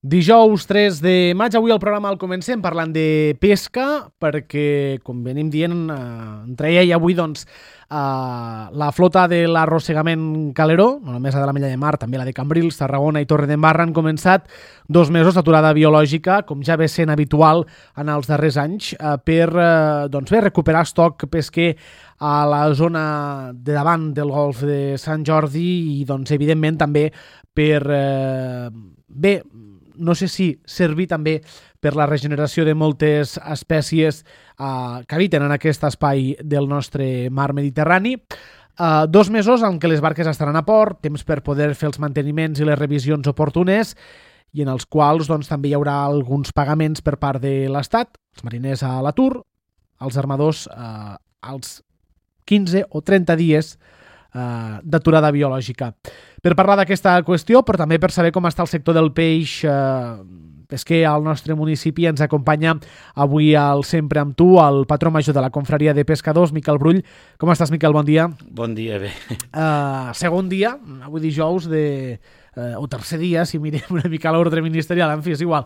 Dijous 3 de maig, avui el programa el comencem parlant de pesca, perquè, com venim dient, entre ella i avui, doncs, la flota de l'arrossegament Caleró, no només la de la Mella de Mar, també la de Cambrils, Tarragona i Torredembarra, han començat 2 mesos d'aturada biològica, com ja ve sent habitual en els darrers anys, per recuperar estoc pesquer a la zona de davant del golf de Sant Jordi i, doncs, evidentment, també per no sé si servir també per la regeneració de moltes espècies que habiten en aquest espai del nostre mar Mediterrani. 2 mesos en què les barques estaran a port, temps per poder fer els manteniments i les revisions oportunes i en els quals, doncs, també hi haurà alguns pagaments per part de l'Estat, els mariners a l'atur, els armadors als 15 o 30 dies d'aturada biològica. Per parlar d'aquesta qüestió, però també per saber com està el sector del peix pesquer al nostre municipi, ens acompanya avui al Sempre amb tu, el patró major de la Confraria de Pescadors, Miquel Brull. Com estàs, Miquel? Bon dia. Bon dia, bé. Segon dia, avui dijous, o tercer dia, si mirem una mica l'ordre ministerial, en fi, és igual.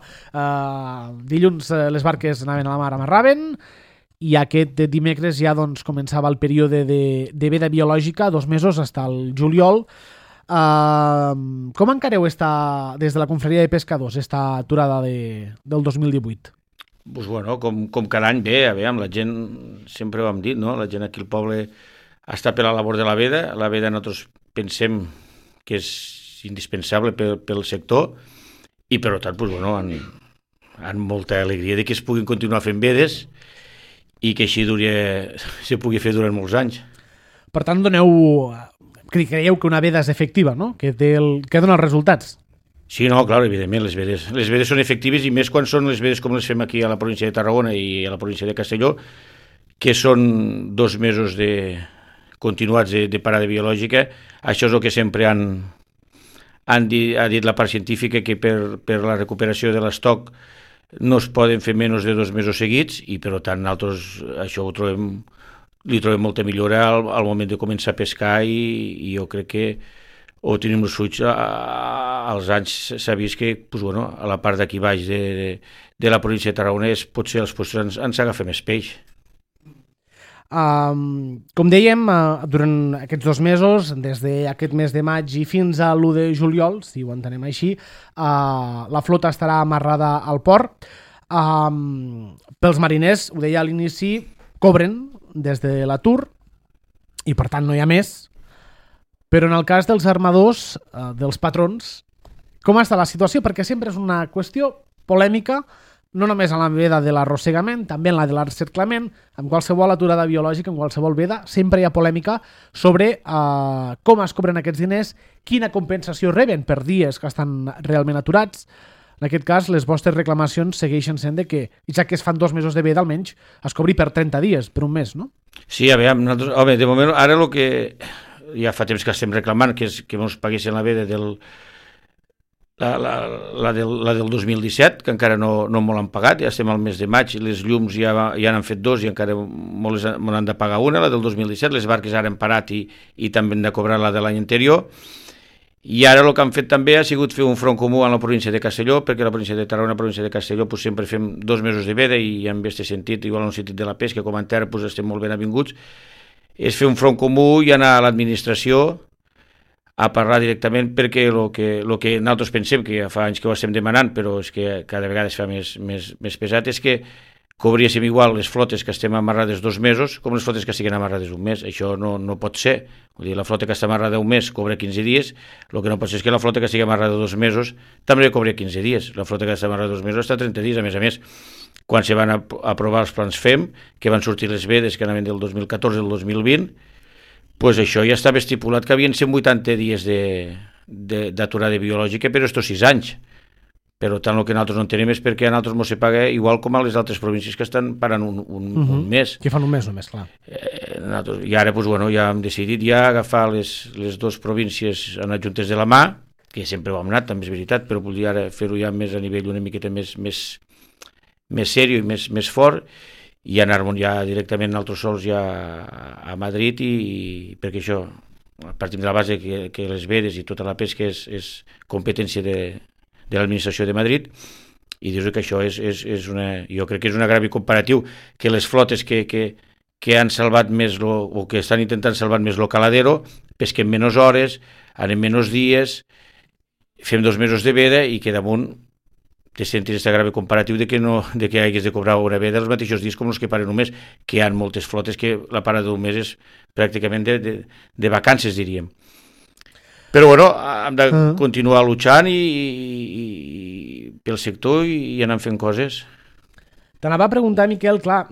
Dilluns les barques anaven a la mar, amarraven, i aquest dimecres ja, doncs, començava el període de veda biològica, 2 mesos, fins al juliol. Com encareu des de la Confraria de Pescadors esta aturada del 2018? Pues bueno, com cada any bé, la gent, sempre ho hem dit, no? La gent aquí al poble està per la labor de la veda nosaltres pensem que és indispensable pel sector i per tant, pues bueno, amb molta alegria de que es puguin continuar fent vedes i que així se pugui fer durant molts anys. Per tant, creieu que una veda és efectiva, no? Que dona els resultats? Sí, no, clar, evidentment, les vedes són efectives i més quan són les vedes com les fem aquí a la província de Tarragona i a la província de Castelló, que són 2 mesos continuats de parada biològica. Això és el que sempre ha dit la part científica, que per la recuperació de l'estoc no es poden fer menys de 2 mesos seguits i, per tant, nosaltres això li trobem molta millora al moment de començar a pescar i jo crec que ho tenim els ulls. Als anys s'ha vist que a la part d'aquí baix de la província de Tarragona potser els puestos ens agafa més peix. Com dèiem, durant aquests 2 mesos, des d'aquest mes de maig i fins a l'1 de juliol, si ho entenem així, la flota estarà amarrada al port. Pels mariners, ho deia a l'inici, cobren des de l'atur i per tant no hi ha més, però en el cas dels armadors, dels patrons, com està la situació? Perquè sempre és una qüestió polèmica, no només en la veda de l'arrossegament, també en la de l'encerclament, amb qualsevol aturada biològica, en qualsevol veda, sempre hi ha polèmica sobre com es cobren aquests diners, quina compensació reben per dies que estan realment aturats. En aquest cas, les vostres reclamacions segueixen sent que, ja que es fan 2 mesos de veda, almenys es cobri per 30 dies, per un mes, no? Sí, nosaltres, de moment, ara el que ja fa temps que estem reclamant, que és que ens paguessin la veda la del 2017, que encara no me l'han pagat, ja estem al mes de maig, les llums ja n'han fet 2 i encara me n'han de pagar una, la del 2017, les barques ara han parat i també han de cobrar la de l'any anterior, i ara el que han fet també ha sigut fer un front comú a la província de Castelló, perquè la província de Tarragona i la província de Castelló sempre fem 2 mesos de veda i en aquest sentit, igual en el sentit de la pesca com en terra, estem molt ben avinguts, és fer un front comú i anar a l'administració a parlar directament, perquè el que nosaltres pensem, que ja fa anys que ho estem demanant, però és que cada vegada es fa més pesat, és que cobríssim igual les flotes que estem amarrades 2 mesos com les flotes que estiguen amarrades 1 mes. Això no pot ser. Vull dir, la flota que està amarrada 1 mes cobra 15 dies, el que no pot ser és que la flota que estigui amarrada 2 mesos també cobra 15 dies. La flota que està amarrada 2 mesos està 30 dies. A més, quan se van aprovar els plans FEM, que van sortir les vedes que anaven del 2014 al 2020, doncs això ja estava estipulat que havien 180 dies d'aturada biològica per estos 6 anys. Per tant, el que nosaltres no entenem és perquè a nosaltres ens se paga igual com a les altres províncies que estan parant un mes. Que fan un mes només, clar. I ara ja hem decidit agafar les 2 províncies en adjuntes de la mà, que sempre ho hem anat, també és veritat, però volia ara fer-ho ja més a nivell una miqueta més seriós i més fort, i anar-me'n ja directament nosaltres sols ja a Madrid, i perquè això, partim de la base que les vedes i tota la pesca és competència de l'administració de Madrid, i dius que això és una... Jo crec que és un agravi comparatiu, que les flotes que han salvat més o que estan intentant salvar més lo caladero, pesquem menys hores, anem menys dies, fem 2 mesos de veda i que damunt te sentis aquest agravi comparatiu de que hagués de cobrar una veda els mateixos dies com els que paren un mes, que hi ha moltes flotes que la parada d'un mes és pràcticament de vacances, diríem. Però bueno, hem de continuar luchant i pel sector i anant fent coses. T'anava a preguntar, Miquel, clar,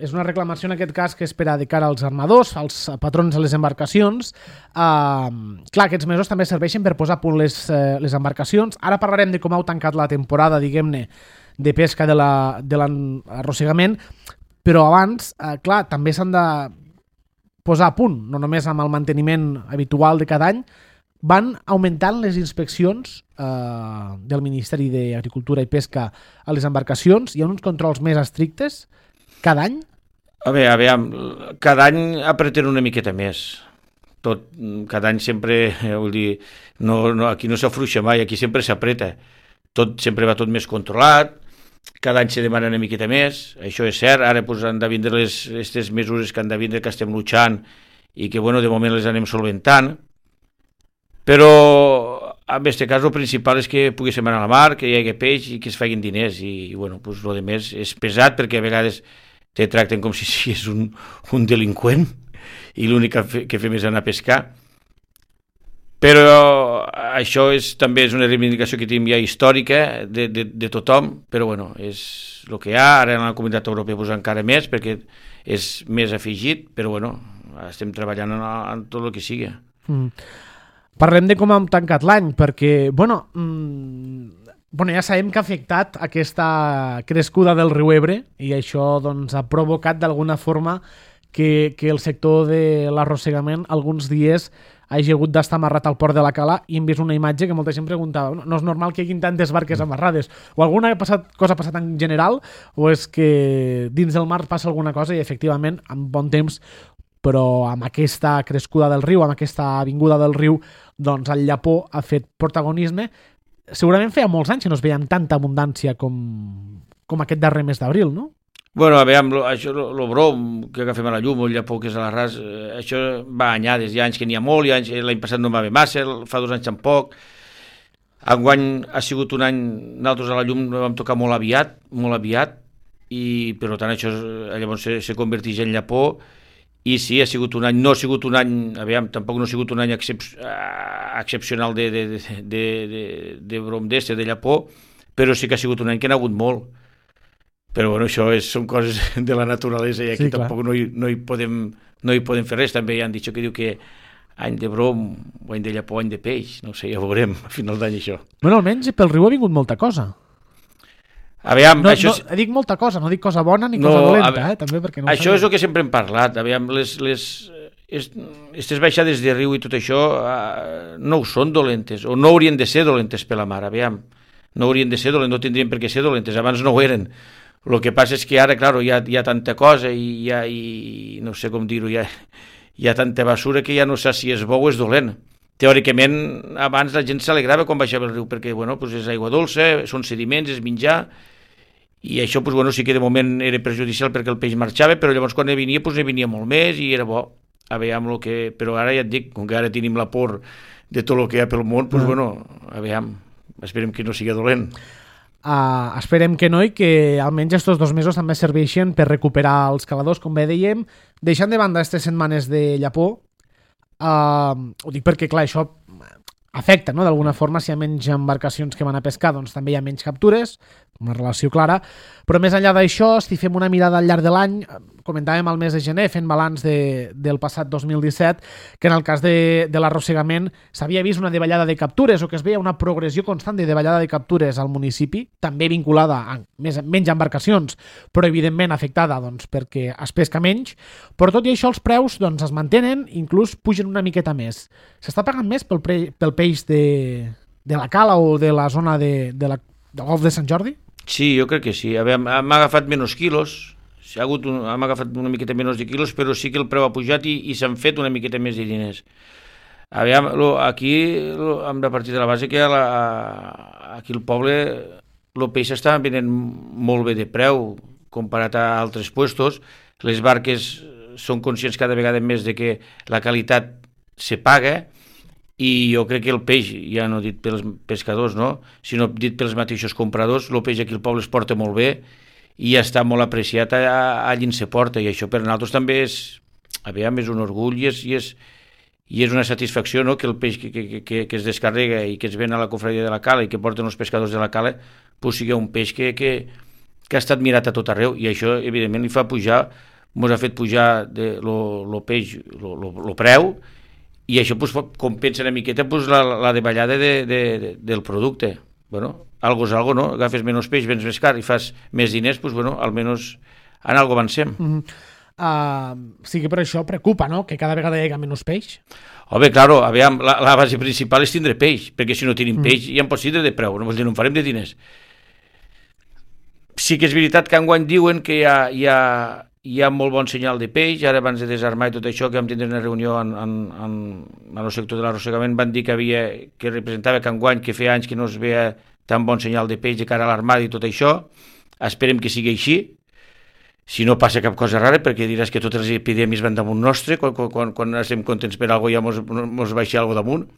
és una reclamació en aquest cas que és per a de cara als armadors, als patrons de les embarcacions. Clar, aquests mesos també serveixen per posar a punt les embarcacions. Ara parlarem de com heu tancat la temporada, diguem-ne, de pesca de l'arrossegament, però abans, clar, també s'han de posar a punt, no només amb el manteniment habitual de cada any. Van augmentant les inspeccions del Ministeri d'Agricultura i Pesca a les embarcacions. Hi ha uns controls més estrictes cada any? A veure, cada any apreten una miqueta més. Cada any sempre, vull dir, aquí no s'afluixa mai, aquí sempre s'apreta. Sempre va tot més controlat, cada any se demana una miqueta més, això és cert. Ara pues, han de vindre aquestes mesures que han de vindre, que estem luchant i que bueno, de moment les anem solventant. Però en aquest cas el principal és que poguéssim anar a la mar, que hi hagi peix i que es facin diners i bueno, pues, el que més és pesat perquè a vegades te tracten com si és un delinqüent i l'únic que fem és anar a pescar. Però això també és una reivindicació que tenim ja històrica de tothom, però bueno, és el que hi ha. Ara en la Comunitat Europea pues, encara més perquè és més afegit, però bueno, estem treballant en tot el que sigui. Parlem de com hem tancat l'any, perquè, bueno, ja sabem que ha afectat aquesta crescuda del riu Ebre i això doncs, ha provocat d'alguna forma que el sector de l'arrossegament alguns dies hagi hagut d'estar amarrat al port de la Cala i hem vist una imatge que molta gent preguntava no és normal que hi hagi tantes barques amarrades o alguna cosa ha passat en general o és que dins del mar passa alguna cosa i efectivament en bon temps però amb aquesta crescuda del riu, amb aquesta vinguda del riu, doncs el llapó ha fet protagonisme. Segurament feia molts anys que no es veia amb tanta abundància com aquest darrer mes d'abril, no? Bueno, a veure, això, el brom que agafem a la llum, el llapó que és a l'arràs, això va anyades, hi ha anys que n'hi ha molt, l'any passat no va haver massa, fa 2 anys tampoc. Enguany ha sigut un any, nosaltres a la llum no vam tocar molt aviat, i per tant això llavors se converteix en llapó. I sí, ha sigut un any, no ha sigut un any, tampoc no ha sigut un any excepcional de brom d'este, de llapó, però sí que ha sigut un any que n'ha hagut molt. Però bueno, això són coses de la naturalesa i aquí sí, tampoc no hi podem fer res. També han dit que diu que any de brom, o any de llapó, any de peix, no sé, ja ho veurem a final d'any això. Bueno, almenys pel riu ha vingut molta cosa. Dic molta cosa, no dic cosa bona ni cosa dolenta, també perquè no això és el que sempre hem parlat. Aquestes baixades de riu i tot això no ho són dolentes, o no haurien de ser dolentes per la mar, no haurien de ser dolentes, no tindrien per què ser dolentes, abans no ho eren. El que passa és que ara, clar, hi ha tanta cosa i no sé com dir-ho, hi ha tanta basura que ja no sé si és bo o és dolent. Teòricament, abans la gent s'alegrava quan baixava el riu, perquè bueno, pues és aigua dolça, són sediments, és menjar, i això pues, bueno, sí que de moment era perjudicial perquè el peix marxava, però llavors quan venia, pues, venia molt més i era bo. Però ara ja et dic, com que ara tenim la por de tot el que hi ha pel món, pues, bueno, esperem que no sigui dolent. Esperem que no i que almenys estos 2 mesos també serveixen per recuperar els caladors, com bé dèiem, deixant de banda aquestes setmanes de llapó. Ho dic perquè, clar, això afecta, no? D'alguna forma, si hi ha menys embarcacions que van a pescar, doncs també hi ha menys captures, una relació clara, però més enllà d'això, si fem una mirada al llarg de l'any, comentàvem al mes de gener, fent balanç del passat 2017, que en el cas de l'arrossegament s'havia vist una davallada de captures o que es veia una progressió constant de davallada de captures al municipi, també vinculada a menys embarcacions, però evidentment afectada doncs, perquè es pesca menys, però tot i això els preus doncs, es mantenen, inclús pugen una miqueta més. S'està pagant més pel peix de la Cala o de la zona del Golf de Sant Jordi? Sí, jo crec que sí. Hem agafat menys quilos, hem agafat una miqueta menys de quilos, però sí que el preu ha pujat i s'han fet una miqueta més de diners. Aviam, aquí hem de partir de la base que aquí al poble el peix està venent molt bé de preu comparat a altres puestos. Les barques són conscients cada vegada més de que la qualitat se paga i jo crec que el peix, ja no dit pels pescadors, no? Sinó dit pels mateixos compradors, el peix aquí al poble es porta molt bé i està molt apreciat allà on se porta, i això per nosaltres també és, aviam, és un orgull i és una satisfacció, no?, que el peix que es descarrega i que es ven a la cofradia de la Cala i que porten els pescadors de la Cala pues sigui un peix que ha estat mirat a tot arreu, i això evidentment li fa pujar, ens ha fet pujar el peix, el preu, i això pues, compensa una miqueta pues, la davallada del producte. Bueno, algo és algo, no? Agafes menys peix, vens més car i fas més diners, pues, bueno, almenys en algo avancem. Sí que per això preocupa, no?, que cada vegada hi hagi menys peix. Home, claro, aviam, la base principal és tindre peix, perquè si no tenim peix ja en pots tindre de preu, no, no en farem de diners. Sí que és veritat que enguany diuen que hi ha molt bon senyal de peix. Ara, abans de desarmar i tot això, que vam tindre una reunió en el sector de l'arrossegament, van dir que representava que enguany, que feia anys que no es veia tan bon senyal de peix de cara a l'armada i tot això. Esperem que sigui així, si no passa cap cosa rara, perquè diràs que totes les epidèmies van damunt nostre, quan estem contents per alguna cosa ja mos baixa alguna cosa damunt.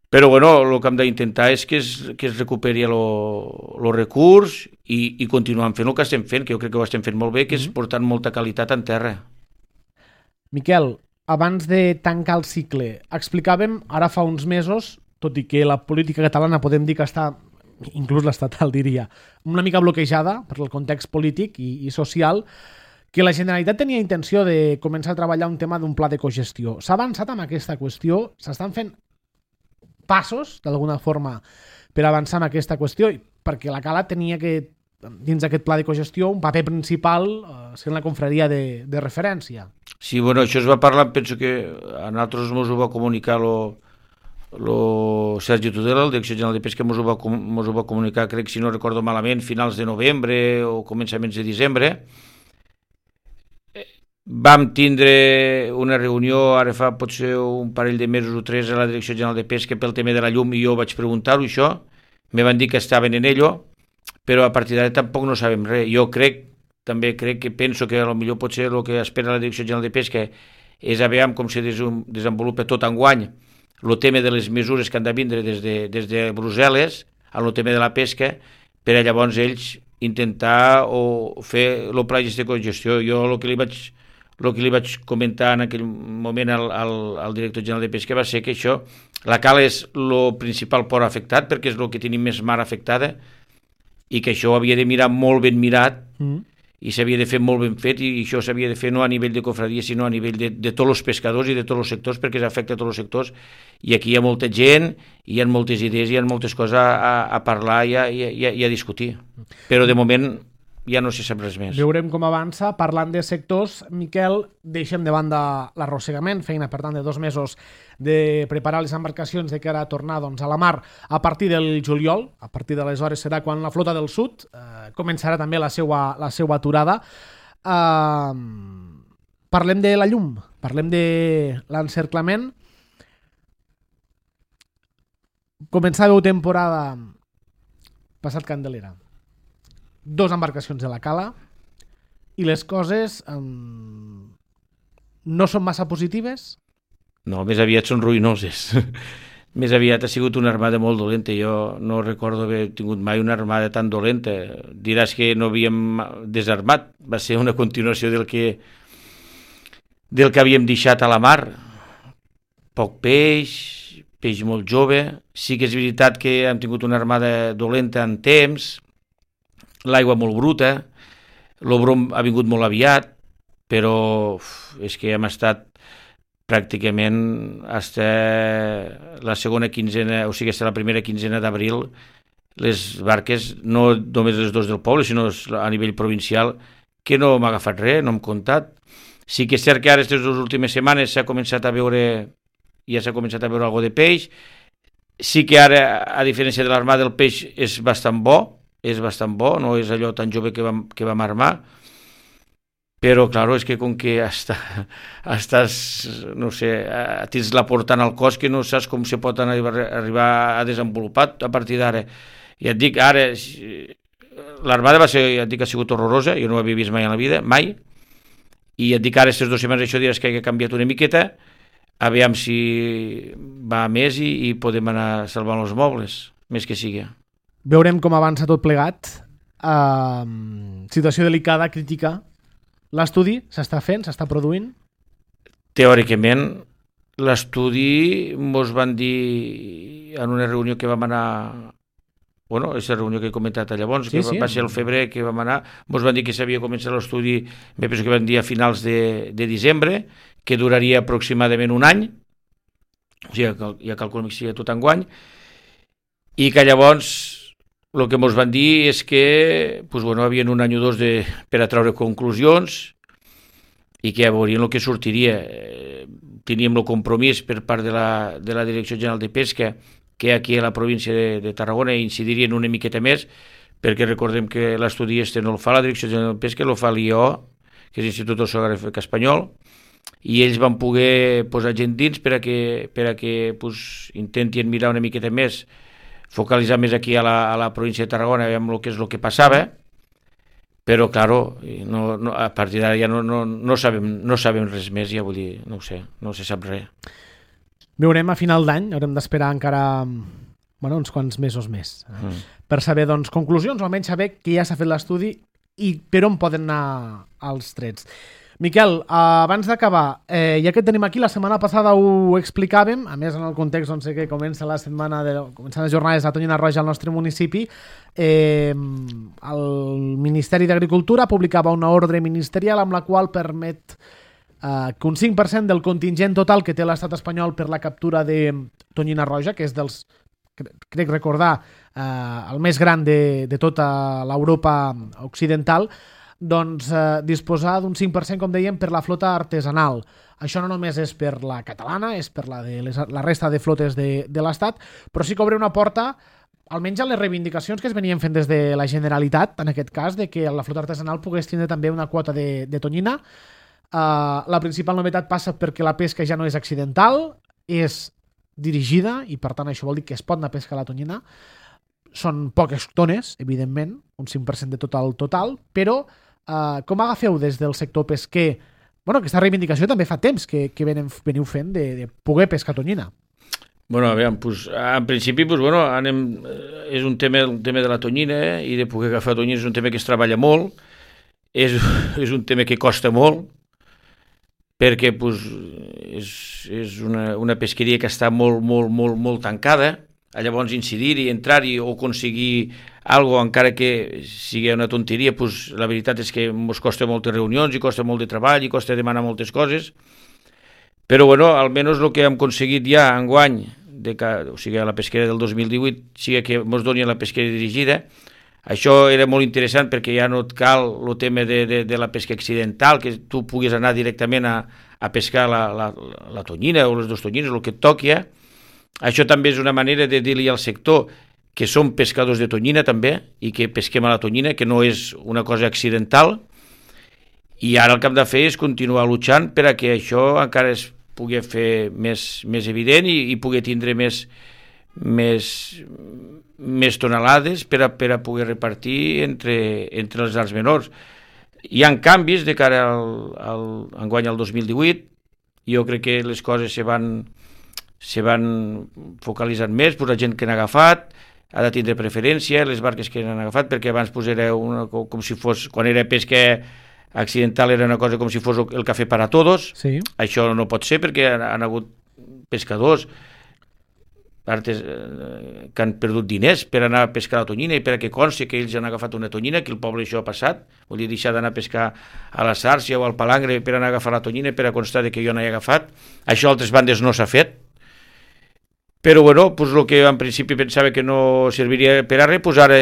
Però bueno, el que hem d'intentar és que es recuperi el recurs i continuem fent el que estem fent, que jo crec que ho estem fent molt bé, que és portant molta qualitat en terra. Miquel, abans de tancar el cicle, explicàvem ara fa uns mesos, tot i que la política catalana podem dir que està, inclús l'estatal diria, una mica bloquejada per el context polític i social, que la Generalitat tenia intenció de començar a treballar un tema d'un pla de cogestió. S'ha avançat amb aquesta qüestió? S'estan fent passos, d'alguna forma, per avançar en aquesta qüestió, perquè la Cala tenia que, dins d'aquest pla de cogestió, un paper principal sent la confraria de referència. Sí, bueno, això es va parlar, penso que a nosaltres ens ho va comunicar Sergi Tudela, el Direcció General de Pesca, ens ho va comunicar, crec, si no recordo malament, finals de novembre o començaments de desembre. Vam tindre una reunió, ara fa potser un parell de mesos o 3 a la Direcció General de Pesca pel tema de la llum, i jo vaig preguntar-ho, això. Me van dir que estaven en ello, però a partir d'ara tampoc no sabem res. Jo també crec que penso que potser potser el que espera la Direcció General de Pesca és a veure com se desenvolupa tot enguany el tema de les mesures que han de vindre des de Brussel·les en el tema de la pesca, per a llavors ells intentar o fer el pla de cogestió. Jo el que li vaig comentar en aquell moment al director general de pesca va ser que això, la Cala és el principal port afectat, perquè és el que tenim més mar afectada, i que això ho havia de mirar molt ben mirat, i s'havia de fer molt ben fet, i això s'havia de fer no a nivell de cofradia, sinó a nivell de tots els pescadors i de tots els sectors, perquè s'afecta a tots els sectors, i aquí hi ha molta gent, hi ha moltes idees, hi ha moltes coses a parlar i a discutir. Però de moment ja no se sap res més. Veurem com avança. Parlant de sectors, Miquel, deixem de banda l'arrossegament, feina per tant de 2 mesos de preparar les embarcacions de cara a tornar doncs, a la mar a partir del juliol. A partir d'aleshores serà quan la flota del sud començarà també la seva aturada. Parlem de la llum, parlem de l'encerclament. Començàveu temporada passat Candelera. 2 embarcacions de la Cala i les coses no són massa positives? No, més aviat són ruïnoses. Més aviat ha sigut una armada molt dolenta. Jo no recordo haver tingut mai una armada tan dolenta. Diràs que no havíem desarmat. Va ser una continuació del que havíem deixat a la mar. Poc peix, peix molt jove. Sí que és veritat que hem tingut una armada dolenta en temps, l'aigua molt bruta, el brom ha vingut molt aviat, però és que hem estat pràcticament fins la segona quinzena, o sigui, fins la primera quinzena d'abril, les barques, no només les 2 del poble, sinó a nivell provincial, que no m'ha agafat res, no hem comptat. Sí que és cert que ara, aquestes 2 últimes setmanes, ja s'ha començat a veure alguna de peix. Sí que ara, a diferència de l'armada, el peix és bastant bo, no és allò tan jove que vam armar, però, clar, és que com que estàs, no sé, tens la portant al cos que no saps com se pot arribar a desenvolupar a partir d'ara. I et dic, ara, l'armada va ser, ja et dic, ha sigut horrorosa, jo no ho havia vist mai en la vida, mai, i et dic, ara, aquestes 2 setmanes, això diràs que ha canviat una miqueta, aviam si va més i podem anar salvant els mobles, més que sigui. Veurem com avança tot plegat. Situació delicada, crítica. L'estudi s'està fent, s'està produint? Teòricament, l'estudi mos van dir en una reunió que vam anar, bueno, aquesta reunió que he comentat llavors, que va ser el febrer que vam anar, mos van dir que s'havia començat l'estudi, me penso que van dir a finals de desembre, que duraria aproximadament un any, o sigui, ja calculem que sigui tot enguany, i que llavors el que ens van dir és que hi havia un any o dos per a treure conclusions i que ja veurien el que sortiria. Teníem el compromís per part de la Direcció General de Pesca que aquí a la província de Tarragona incidirien una miqueta més, perquè recordem que l'estudi no el fa la Direcció General de Pesca, el fa l'IO, que és l'Institut Oceanogràfic Espanyol, i ells van poder posar gent dins per a que intentien mirar una miqueta més, focalitzar més aquí a la província de Tarragona, veiem el que és el que passava, però, claro, a partir d'ara ja no sabem res més, ja vull dir, no ho sé, no se sap res. Veurem a final d'any, haurem d'esperar encara uns quants mesos més per saber conclusions, o almenys saber que ja s'ha fet l'estudi i per on poden anar els trets. Miquel, abans d'acabar, ja que et tenim aquí, la setmana passada ho explicàvem, a més en el context que comença la setmana començant les jornades de Tonyina Roja al nostre municipi, el Ministeri d'Agricultura publicava una ordre ministerial amb la qual permet que un 5% del contingent total que té l'estat espanyol per la captura de tonyina roja, que és dels, crec recordar, el més gran de tota l'Europa occidental, disposar d'un 5%, com dèiem, per la flota artesanal. Això no només és per la catalana, és per la resta de flotes de l'Estat, però sí que obre una porta, almenys a les reivindicacions que es venien fent des de la Generalitat, en aquest cas, de que la flota artesanal pogués tindre també una quota de tonyina. La principal novetat passa perquè la pesca ja no és accidental, és dirigida, i per tant això vol dir que es pot anar a pescar la tonyina. Són poques tones, evidentment, un 5% de total, però com agafeu des del sector pesquer aquesta reivindicació també fa temps que veniu fent de poder pescar tonyina? Aviam, en principi és un tema de la tonyina i de poder agafar tonyina és un tema que es treballa molt, és un tema que costa molt, perquè és una pesqueria que està molt tancada. Llavors incidir-hi, entrar-hi o aconseguir alguna cosa, encara que sigui una tonteria, la veritat és que ens costa moltes reunions i costa molt de treball i costa demanar moltes coses, però almenys el que hem aconseguit ja enguany, o sigui a la pesqueria del 2018, sigui que ens doni la pesqueria dirigida. Això era molt interessant perquè ja no et cal el tema de la pesca accidental, que tu puguis anar directament a pescar la tonyina o les dues tonyines, el que et toqui. Això també és una manera de dir-li al sector que som pescadors de tonyina també i que pesquem a la tonyina, que no és una cosa accidental, i ara el que hem de fer és continuar luchant per a que això encara es pugui fer més evident i pugui tindre més tonelades per a poder repartir entre els arts menors. Hi ha canvis de cara enguany al 2018, jo crec que les coses se van focalitzant més, la gent que n'ha agafat ha de tindre preferència, les barques que n'han agafat, perquè abans era com si fos, quan era pesca accidental era una cosa com si fos el cafè para todos. Sí. Això no pot ser perquè han hagut pescadors que han perdut diners per anar a pescar la tonyina i per a que consti que ells han agafat una tonyina, que el poble això ha passat, vol dir deixar d'anar a pescar a la Sàrcia o al Palangre per anar a agafar la tonyina per a constar que jo no he agafat. Això a altres bandes no s'ha fet. Però el que en principi pensava que no serviria per a res, ara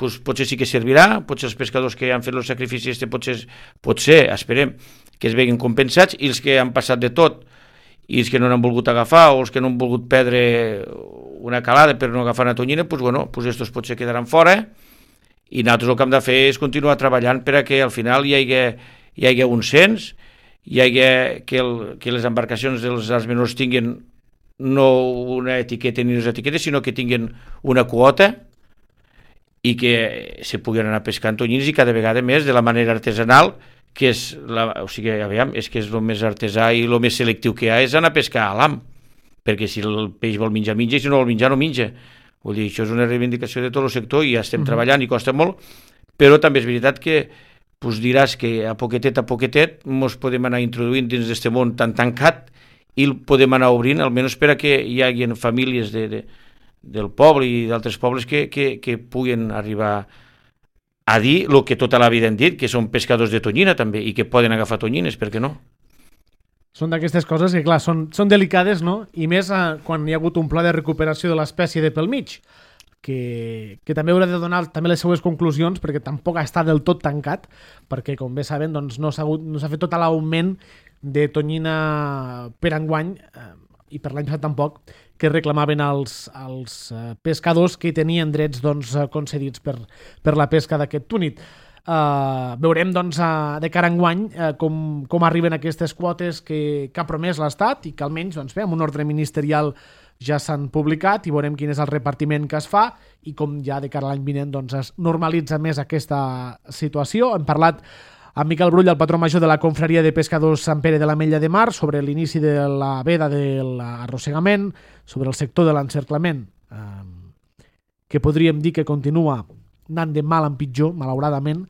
potser sí que servirà, potser els pescadors que han fet els sacrificis potser, esperem, que es veguin compensats, i els que han passat de tot, i els que no n'han volgut agafar, o els que no han volgut perdre una calada per no agafar una tonyina, estos potser quedaran fora, i nosaltres el que hem de fer és continuar treballant per a que al final hi hagi hi hagi un cens, hi hagi que les embarcacions dels arts menors tinguin no una etiqueta ni unes etiquetes, sinó que tinguin una quota i que se puguin anar pescant tonyines i cada vegada més de la manera artesanal, que és, o sigui, aviam, és que és el més artesà i el més selectiu que hi ha, és anar a pescar a l'ham, perquè si el peix vol menjar, menja, i si no vol menjar, no menja. Vull dir, això és una reivindicació de tot el sector i ja estem treballant i costa molt, però també és veritat que pues, diràs que a poquetet mos podem anar introduint dins d'aquest món tan tancat i el podem anar obrint, almenys per a que hi hagi famílies del poble i d'altres pobles que puguen arribar a dir el que tota la vida han dit, que són pescadors de tonyina també, i que poden agafar tonyines, per què no? Són d'aquestes coses que, clar, són delicades, no? I més quan hi ha hagut un pla de recuperació de l'espècie de pel mig, que també haurà de donar també les seues conclusions, perquè tampoc està del tot tancat, perquè, com bé saben, doncs, no s'ha fet tot l'augment de tonyina per enguany, i per l'any passat tampoc, que reclamaven els pescadors que tenien drets doncs, concedits per la pesca d'aquest túnid. Veurem doncs, de cara a enguany com arriben aquestes quotes que ha promès l'Estat i que almenys doncs, amb un ordre ministerial ja s'han publicat i veurem quin és el repartiment que es fa i com ja de cara a l'any vinent doncs, es normalitza més aquesta situació. Hem parlat amb Miquel Brull, el patró major de la Confraria de Pescadors Sant Pere de l'Ametlla de Mar, sobre l'inici de la veda de l'arrossegament, sobre el sector de l'encerclament, que podríem dir que continua anant de mal en pitjor, malauradament,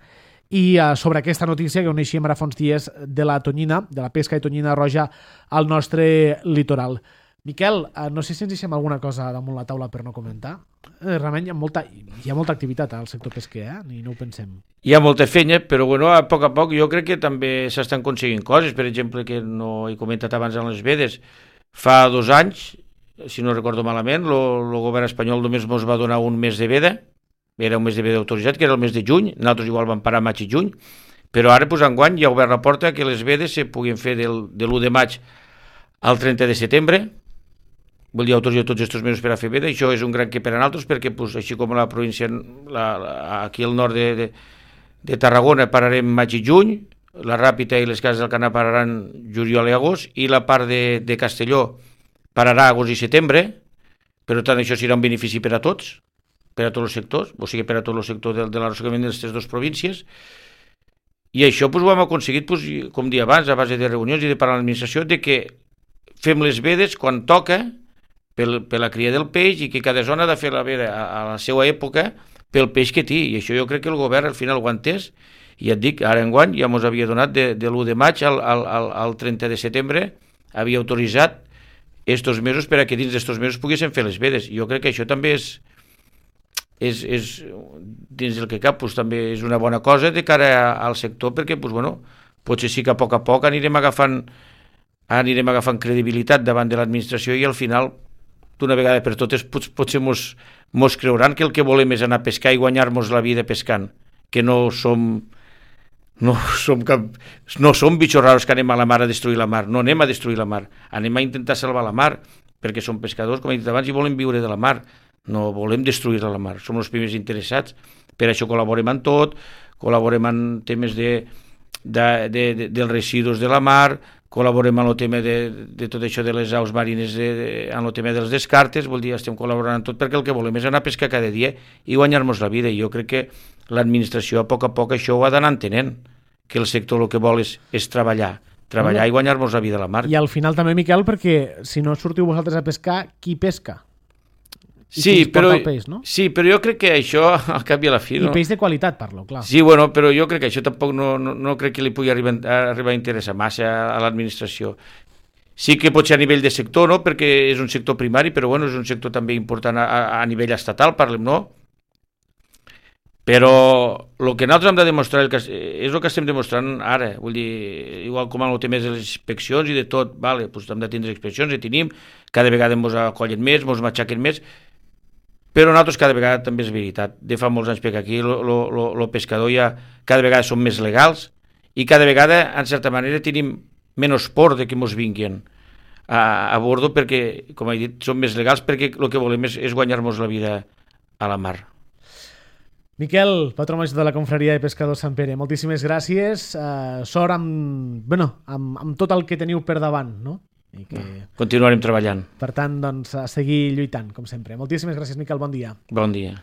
i sobre aquesta notícia que coneixíem ara fa uns dies de la tonyina, de la pesca de tonyina roja al nostre litoral. Miquel, no sé si ens deixem alguna cosa damunt la taula per no comentar. Realment hi ha molta activitat al sector pesquer, ni no ho pensem. Hi ha molta feina, però bueno, a poc jo crec que també s'estan aconseguint coses. Per exemple, que no he comentat abans en les vedes, fa 2 anys, si no recordo malament, el govern espanyol només ens va donar un mes de veda, era un mes de veda autoritzat, que era el mes de juny, nosaltres igual vam parar maig i juny, però ara enguany ja ha obert la porta que les vedes se puguin fer de l'1 de maig al 30 de setembre, vol dir autoritzar tots aquests mesos per a fer veda, i això és un gran que per a nosaltres, perquè així com la província, aquí al nord de Tarragona pararem maig i juny, la Ràpita i les Cases del Canà pararan juliol i agost, i la part de Castelló pararà agost i setembre, per tant això serà un benefici per a tots, per a tots els sectors, o sigui per a tot el sector de l'arrossegament d'aquestes 2 províncies, i això ho hem aconseguit, com dia abans, a base de reunions i de parlar amb l'administració, de que fem les vedes quan toca, per la cria del peix, i que cada zona ha de fer la veda a la seva època pel peix que té, i això jo crec que el govern al final ho ha entès, i et dic, ara enguany ja ens havia donat de l'1 de maig al 30 de setembre, havia autoritzat estos mesos per a que dins d'estos mesos poguessin fer les vedes. Jo crec que això també és dins del que cap, també és una bona cosa de cara al sector, perquè potser sí que a poc anirem agafant credibilitat davant de l'administració, i al final d'una vegada per totes potser mos creuran que el que volem és anar a pescar i guanyar-nos la vida pescant, que no som bitxos raros que anem a la mar a destruir la mar. No anem a destruir la mar, anem a intentar salvar la mar, perquè som pescadors, com he dit abans, i volem viure de la mar, no volem destruir la mar, som els primers interessats. Per això col·laborem en tot, col·laborem en temes dels residus de la mar, col·laborem en el tema de tot això de les aus marines, en el tema dels descartes, vol dir, estem col·laborant en tot, perquè el que volem és anar a pescar cada dia i guanyar-nos la vida, i jo crec que l'administració a poc això ho ha d'anar entenent, que el sector el que vol és treballar i guanyar-nos la vida a la mar. I al final també, Miquel, perquè si no sortiu vosaltres a pescar, qui pesca? Sí, però jo crec que això al cap i a la fi... I peix de qualitat, parlo, clar. Sí, però jo crec que això tampoc no crec que li pugui arribar a interessar massa a l'administració. Sí que pot ser a nivell de sector, no?, perquè és un sector primari, però és un sector també important a nivell estatal, parlem, no? Però el que nosaltres hem de demostrar és el que estem demostrant ara, vull dir, igual com en el tema de les inspeccions i de tot, doncs hem de tindre inspeccions, i tenim, cada vegada ens acollen més, ens matxaquen més, però nosaltres cada vegada també és veritat, de fa molts anys perquè aquí el pescador ja cada vegada som més legals i cada vegada, en certa manera, tenim menys por de que ens vinguin a bordo, perquè, com he dit, som més legals perquè el que volem és guanyar-nos la vida a la mar. Miquel, patró major de la Confraria de Pescadors Sant Pere, moltíssimes gràcies. Sort amb tot el que teniu per davant, no? I que... Continuarem treballant. Per tant, doncs, a seguir lluitant, com sempre. Moltíssimes gràcies, Miquel, bon dia. Bon dia.